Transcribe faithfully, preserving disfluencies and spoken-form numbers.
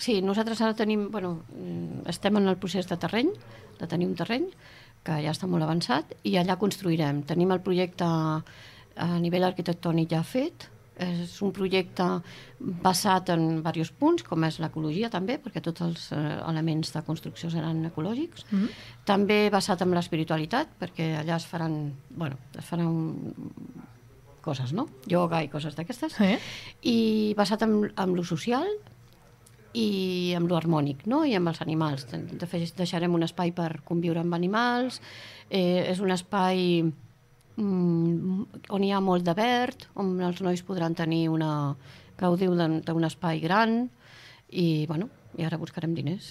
Sí, nosaltres ara tenim, bueno, estem en el procés de terreny, de tenir un terreny, que ja està molt avançat, i allà construirem. Tenim el projecte a nivell arquitectònic ja fet, és un projecte basat en diversos punts, com és l'ecologia també, perquè tots els elements de construcció seran ecològics. Mm-hmm. També basat en l'espiritualitat, perquè allà es faran, bueno, es faran coses, no? Yoga i coses d'aquestes. Sí. I basat en, en lo social i amb lo harmònic, no? I amb els animals. De fet, deixarem un espai per conviure amb animals, eh, és un espai mm, on hi ha molt de verd, on els nois podran tenir una, gaudir d'un espai gran, i, bueno, i ara buscarem diners